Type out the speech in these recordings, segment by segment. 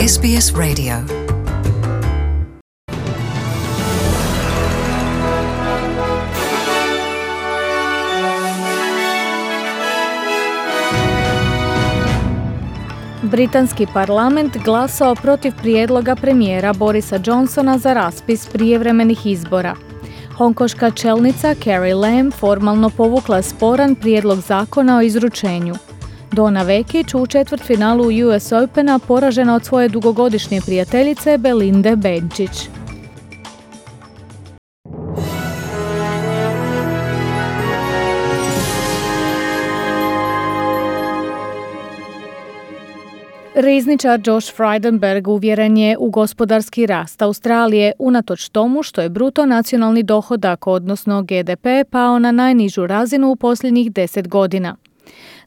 SBS Radio. Britanski parlament glasao protiv prijedloga premijera Borisa Johnsona za raspis prijevremenih izbora. Hongkonška čelnica Carrie Lam formalno povukla sporan prijedlog zakona o izručenju. Donna Vekić u četvrtfinalu US Opena poražena od svoje dugogodišnje prijateljice Belinde Bencic. Rizničar Josh Frydenberg uvjeren je u gospodarski rast Australije unatoč tomu što je bruto nacionalni dohodak, odnosno GDP, pao na najnižu razinu u posljednjih 10 godina.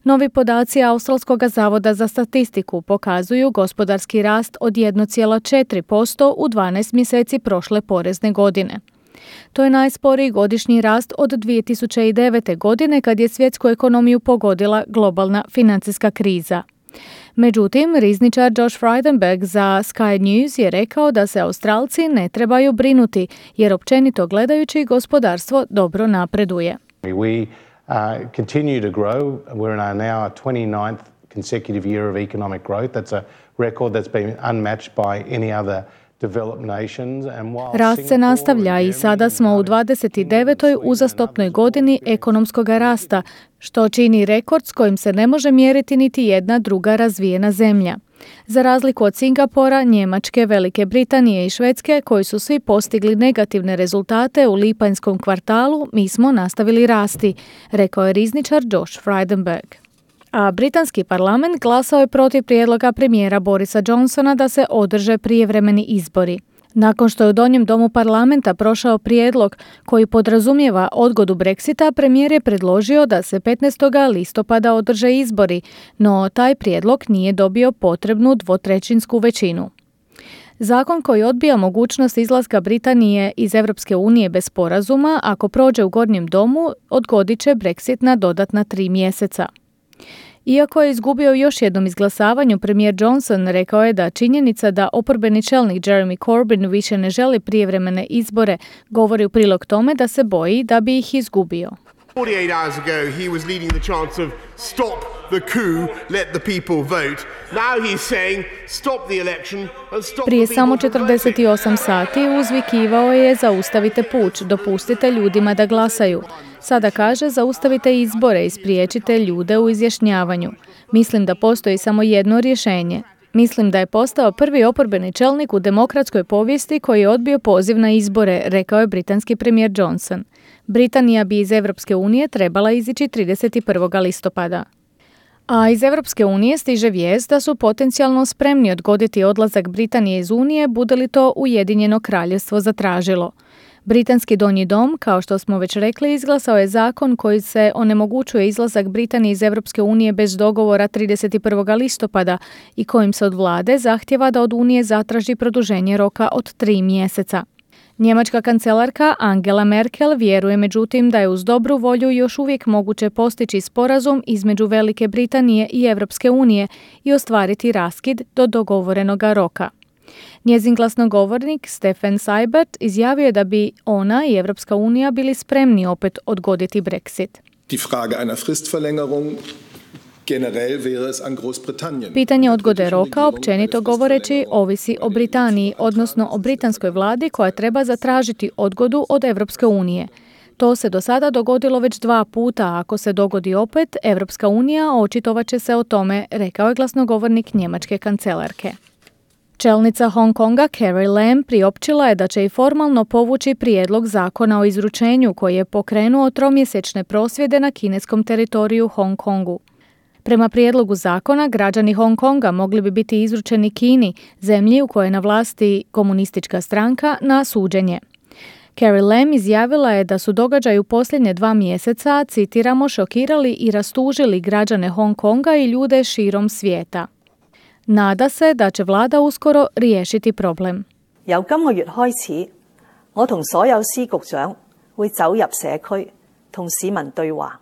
Novi podaci Australskog zavoda za statistiku pokazuju gospodarski rast od 1,4% u 12 mjeseci prošle porezne godine. To je najsporiji godišnji rast od 2009. godine kad je svjetsku ekonomiju pogodila globalna financijska kriza. Međutim, rizničar Josh Frydenberg za Sky News je rekao da se Australci ne trebaju brinuti jer općenito gledajući gospodarstvo dobro napreduje. We continue to grow. We're in our now 29th consecutive year of economic growth. That's a record that's been unmatched by any other developed nations. Rast se nastavlja i sada smo u 29. uzastopnoj godini ekonomskog rasta, što čini rekord s kojim se ne može mjeriti niti jedna druga razvijena zemlja. Za razliku od Singapura, Njemačke, Velike Britanije i Švedske, koji su svi postigli negativne rezultate u lipanjskom kvartalu, mi smo nastavili rasti, rekao je rizničar Josh Frydenberg. A britanski parlament glasao je protiv prijedloga premijera Borisa Johnsona da se održe prijevremeni izbori. Nakon što je u donjem domu parlamenta prošao prijedlog koji podrazumijeva odgodu Brexita, premijer je predložio da se 15. listopada održe izbori, no taj prijedlog nije dobio potrebnu dvotrećinsku većinu. Zakon koji odbija mogućnost izlaska Britanije iz Europske unije bez sporazuma, ako prođe u gornjem domu, odgodit će Brexit na dodatna 3 mjeseca. Iako je izgubio još jednom izglasavanju, premijer Johnson rekao je da činjenica da oporbeni čelnik Jeremy Corbyn više ne želi prijevremene izbore govori u prilog tome da se boji da bi ih izgubio. 48 hours ago he was leading the chants of stop the coup, let the people vote. Now he's saying stop the election and stop Prije the samo people from 48 sati uzvikivao je zaustavite puč, dopustite ljudima da glasaju. Sada kaže zaustavite izbore i spriječite ljude u izjašnjavanju. Mislim da postoji samo jedno rješenje. Mislim da je postao prvi oporbeni čelnik u demokratskoj povijesti koji je odbio poziv na izbore, rekao je britanski premijer Johnson. Britanija bi iz Europske unije trebala izići 31. listopada. A iz Europske unije stiže vijest da su potencijalno spremni odgoditi odlazak Britanije iz Unije, bude li to Ujedinjeno kraljevstvo zatražilo. Britanski donji dom, kao što smo već rekli, izglasao je zakon koji se onemogućuje izlazak Britanije iz Europske unije bez dogovora 31. listopada i kojim se od vlade zahtjeva da od Unije zatraži produženje roka od 3 mjeseca. Njemačka kancelarka Angela Merkel vjeruje međutim da je uz dobru volju još uvijek moguće postići sporazum između Velike Britanije i Europske unije i ostvariti raskid do dogovorenoga roka. Njezin glasnogovornik Stefan Seibert izjavio je da bi ona i Europska unija bili spremni opet odgoditi Brexit. Die Frage einer Fristverlängerung generell wäre es an Großbritannien. Pitanje odgode roka, općenito govoreći, ovisi o Britaniji, odnosno o britanskoj vladi koja treba zatražiti odgodu od Europske unije. To se do sada dogodilo već 2 puta, a ako se dogodi opet, Europska unija očitovat će se o tome, rekao je glasnogovornik njemačke kancelarke. Čelnica Hong Konga Carrie Lam priopćila je da će i formalno povući prijedlog zakona o izručenju koji je pokrenuo 3-mjesečne prosvjede na kineskom teritoriju Hong Kongu. Prema prijedlogu zakona, građani Hong Konga mogli bi biti izručeni Kini, zemlji u kojoj je na vlasti komunistička stranka, na suđenje. Carrie Lam izjavila je da su događaji u posljednje 2 mjeseca, citiramo, šokirali i rastužili građane Hong Konga i ljude širom svijeta. Nada se da će vlada uskoro riješiti problem. 由今個月開始，我同所有司局長會走入社區，同市民對話。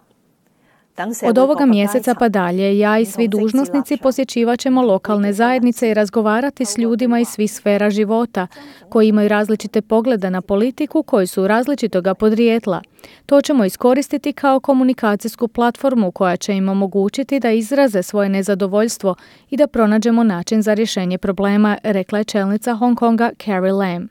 Od ovoga mjeseca pa dalje, ja i svi dužnosnici posjećivat ćemo lokalne zajednice i razgovarati s ljudima iz svih sfera života, koji imaju različite poglede na politiku, koji su različitoga podrijetla. To ćemo iskoristiti kao komunikacijsku platformu koja će im omogućiti da izraze svoje nezadovoljstvo i da pronađemo način za rješenje problema, rekla je čelnica Hong Konga Carrie Lam.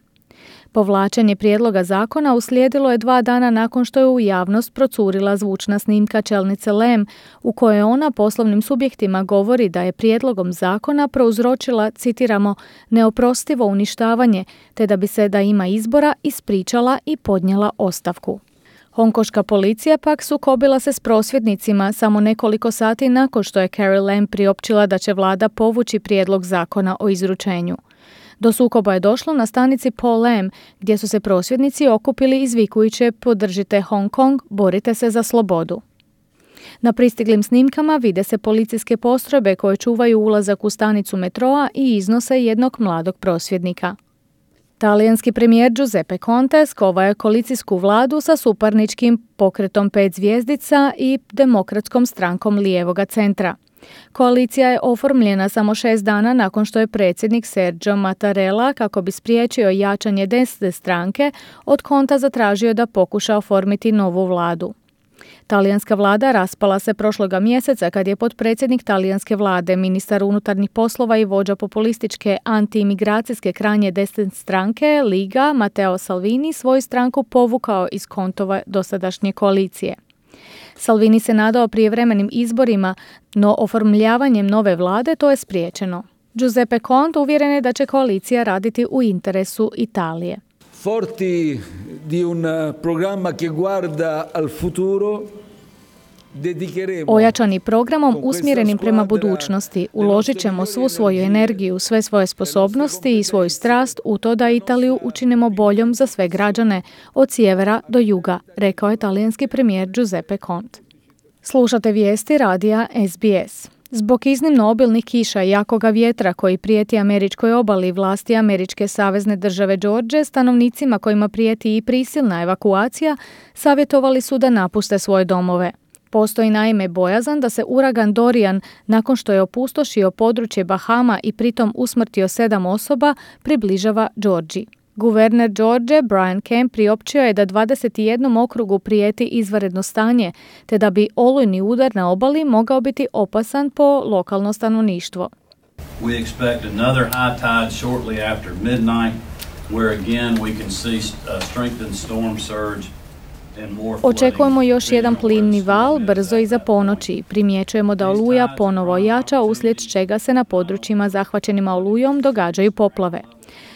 Povlačenje prijedloga zakona uslijedilo je 2 dana nakon što je u javnost procurila zvučna snimka čelnice Lam u kojoj ona poslovnim subjektima govori da je prijedlogom zakona prouzročila, citiramo, neoprostivo uništavanje, te da bi se da ima izbora ispričala i podnijela ostavku. Hongkoška policija pak sukobila se s prosvjednicima samo nekoliko sati nakon što je Carrie Lam priopćila da će vlada povući prijedlog zakona o izručenju. Do sukoba je došlo na stanici Po Lam, gdje su se prosvjednici okupili izvikujući podržite Hong Kong, borite se za slobodu. Na pristiglim snimkama vide se policijske postrojbe koje čuvaju ulazak u stanicu metroa i iznose jednog mladog prosvjednika. Talijanski premijer Giuseppe Conte skovao je koalicijsku vladu sa suparničkim pokretom 5 zvjezdica i demokratskom strankom lijevoga centra. Koalicija je oformljena samo 6 dana nakon što je predsjednik Sergio Mattarella, kako bi spriječio jačanje desne stranke, od Conta zatražio da pokuša oformiti novu vladu. Talijanska vlada raspala se prošloga mjeseca kad je potpredsjednik talijanske vlade, ministar unutarnjih poslova i vođa populističke antiimigracijske krajnje desne stranke Liga Matteo Salvini svoju stranku povukao iz Contove dosadašnje koalicije. Salvini se nadao prijevremenim izborima, no oformljavanjem nove vlade to je spriječeno. Giuseppe Conte uvjeren je da će koalicija raditi u interesu Italije. Forti di un programma che guarda al futuro, ojačani programom usmjerenim prema budućnosti, uložit ćemo svu svoju energiju, sve svoje sposobnosti i svoju strast u to da Italiju učinimo boljom za sve građane, od sjevera do juga, rekao je talijanski premijer Giuseppe Conte. Slušate vijesti radija SBS. Zbog iznimno obilnih kiša i jakoga vjetra koji prijeti američkoj obali, vlasti američke savezne države George, stanovnicima kojima prijeti i prisilna evakuacija, savjetovali su da napuste svoje domove. Postoji naime bojazan da se uragan Dorian, nakon što je opustošio područje Bahama i pritom usmrtio 7 osoba, približava Georgiji. Guverner George Brian Kemp priopćio je da 21 okrugu prijeti izvanredno stanje, te da bi olujni udar na obali mogao biti opasan po lokalno stanovništvo. We expect another high tide shortly after midnight, where again we can see a strengthened storm surge. Očekujemo još jedan plimni val brzo iza ponoći. Primjećujemo da oluja ponovo jača, uslijed čega se na područjima zahvaćenima olujom događaju poplave.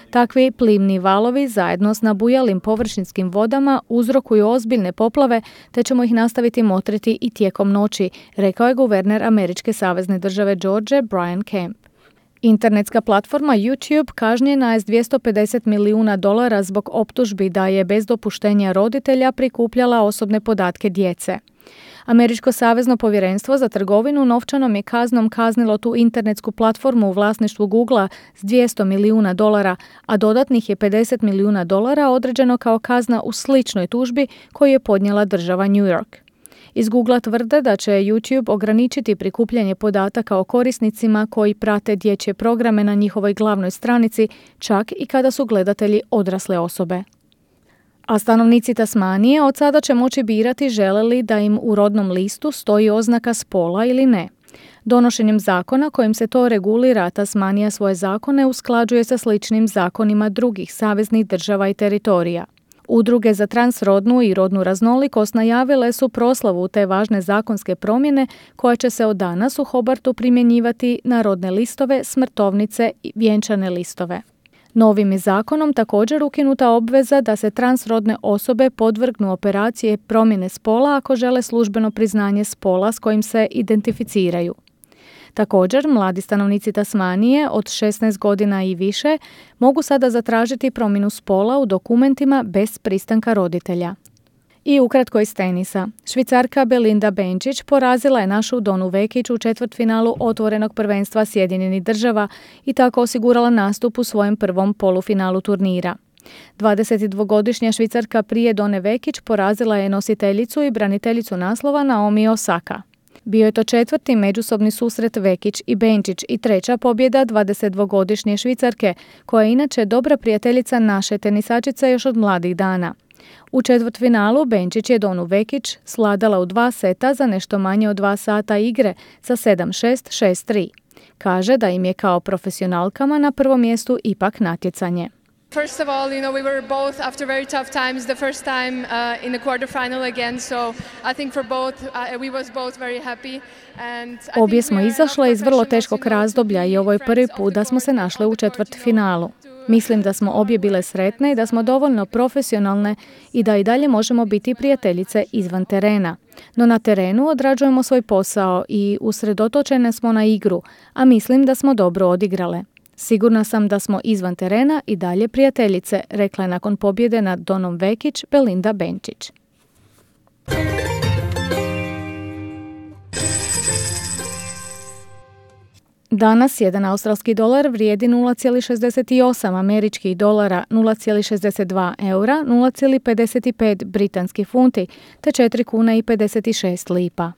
Takvi plimni valovi zajedno s nabujalim površinskim vodama uzrokuju ozbiljne poplave, te ćemo ih nastaviti motriti i tijekom noći, rekao je guverner američke savezne države George Brian Kemp. Internetska platforma YouTube kažnjena je s $250 milijuna zbog optužbi da je bez dopuštenja roditelja prikupljala osobne podatke djece. Američko savezno povjerenstvo za trgovinu novčanom je kaznom kaznilo tu internetsku platformu u vlasništvu Googlea s $200 milijuna, a dodatnih je $50 milijuna određeno kao kazna u sličnoj tužbi koju je podnijela država New York. Iz Googlea tvrde da će YouTube ograničiti prikupljanje podataka o korisnicima koji prate dječje programe na njihovoj glavnoj stranici, čak i kada su gledatelji odrasle osobe. A stanovnici Tasmanije od sada će moći birati žele li da im u rodnom listu stoji oznaka spola ili ne. Donošenjem zakona kojim se to regulira, Tasmanija svoje zakone usklađuje sa sličnim zakonima drugih saveznih država i teritorija. Udruge za transrodnu i rodnu raznolikost najavile su proslavu te važne zakonske promjene koja će se od danas u Hobartu primjenjivati na rodne listove, smrtovnice i vjenčane listove. Novim je zakonom također ukinuta obveza da se transrodne osobe podvrgnu operacije promjene spola ako žele službeno priznanje spola s kojim se identificiraju. Također, mladi stanovnici Tasmanije od 16 godina i više mogu sada zatražiti promjenu spola u dokumentima bez pristanka roditelja. I ukratko iz tenisa. Švicarka Belinda Bencic porazila je našu Donu Vekić u četvrtfinalu otvorenog prvenstva Sjedinjenih Država i tako osigurala nastup u svojem prvom polufinalu turnira. 22-godišnja Švicarka prije Done Vekić porazila je nositeljicu i braniteljicu naslova Naomi Osaka. Bio je to četvrti međusobni susret Vekić i Benčić i treća pobjeda 22-godišnje Švicarke, koja je inače dobra prijateljica naše tenisačice još od mladih dana. U četvrtfinalu Benčić je Donu Vekić sladala u 2 seta za nešto manje od 2 sata igre sa 7-6, 6-3. Kaže da im je kao profesionalkama na prvom mjestu ipak natjecanje. First of all, we were both after very tough times, the first time in the quarterfinal again, so I think for both, we was both very happy. Obje smo izašle iz vrlo teškog razdoblja i ovo je prvi put da smo se našle u četvrtfinalu. Mislim da smo obje bile sretne i da smo dovoljno profesionalne i da i dalje možemo biti prijateljice izvan terena. No na terenu odrađujemo svoj posao i usredotočene smo na igru, a mislim da smo dobro odigrale. Sigurna sam da smo izvan terena i dalje prijateljice, rekla je nakon pobjede nad Donom Vekić Belinda Benčić. Danas jedan australski dolar vrijedi 0,68 američkih dolara, 0,62 eura, 0,55 britanskih funti te 4 kuna i 56 lipa.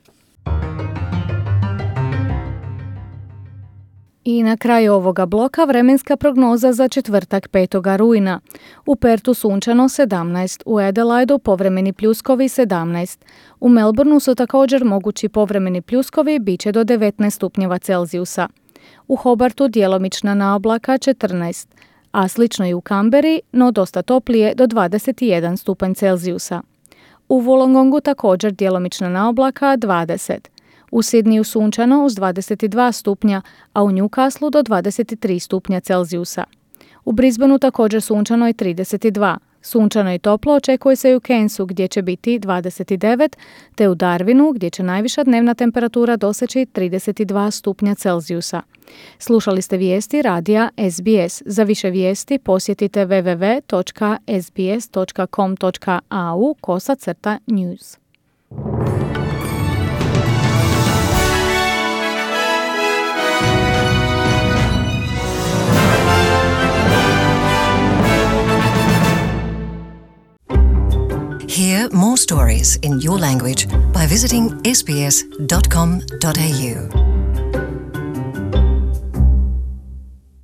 I na kraju ovoga bloka vremenska prognoza za četvrtak 5. rujna. U Pertu sunčano 17, u Adelaidu povremeni pljuskovi 17. U Melbourneu su također mogući povremeni pljuskovi, bit će do 19 stupnjeva Celzijusa. U Hobartu djelomična naoblaka 14, a slično i u Kamberi, no dosta toplije do 21 stupanj Celzijusa. U Wollongongu također djelomična naoblaka 20. U Sidniju sunčano uz 22 stupnja, a u Newcastlu do 23 stupnja Celzijusa. U Brisbaneu također sunčano i 32. Sunčano i toplo očekuje se i u Cairnsu gdje će biti 29, te u Darwinu gdje će najviša dnevna temperatura doseći 32 stupnja Celzijusa. Slušali ste vijesti radija SBS. Za više vijesti posjetite www.sbs.com.au/news. Hear more stories in your language by visiting sbs.com.au.